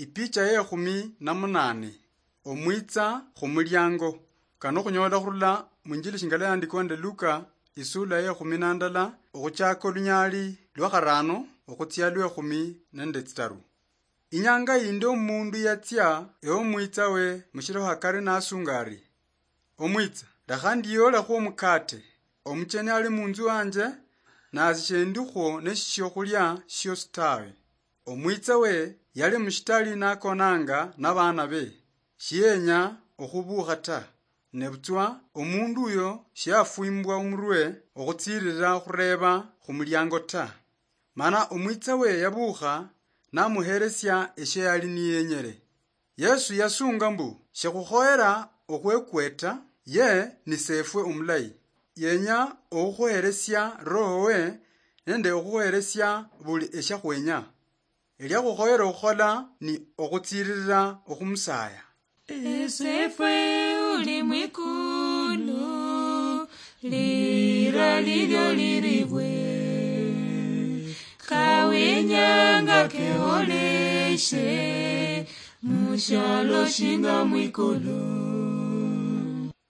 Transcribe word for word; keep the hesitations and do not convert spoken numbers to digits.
Ipicha ye khumi na munane. Omwitsa khumuliango. Kano khunyola khurula munjili shingala yandikwa nende Luka, isula ye khumi na ndala, okhuchaka olunyali lwa kharano okhutsia lwe khumi nende tsitaru. Inyanga yindi omundu yatsia ewo mwitsa we mushilo hakari nasunga ari, "Omwitsa, lekha ndiyolekhwo omukate, omucheni ali munzu wanje, nasi shendikhwo neshiokhulya shiosi tawe." Omwitsa we yali mushitali nakonanga nabana be, shiyenya okhubukha ta. Nebutswa omundu uyo shiafwimbwa omurwe okhutsirira khureba khumuliango ta. Mana omwitsa we yabukha namuheresia eshia yali niyenyere. Yesu yasunga mbu, "Shikhukhoyera okhwekweta, ye ni Sefwe omulayi. Yenya okhukhuheresia Roho we nende okhukhuheresia buli eshiakhwenya. Eliakhukhoyera okhukhola ni okhutsiririra okhumusaya." Esefwe uli mwikulu, lira lilio liribwe, kawinyanga keholeshe, mushialo shinga mwikulu.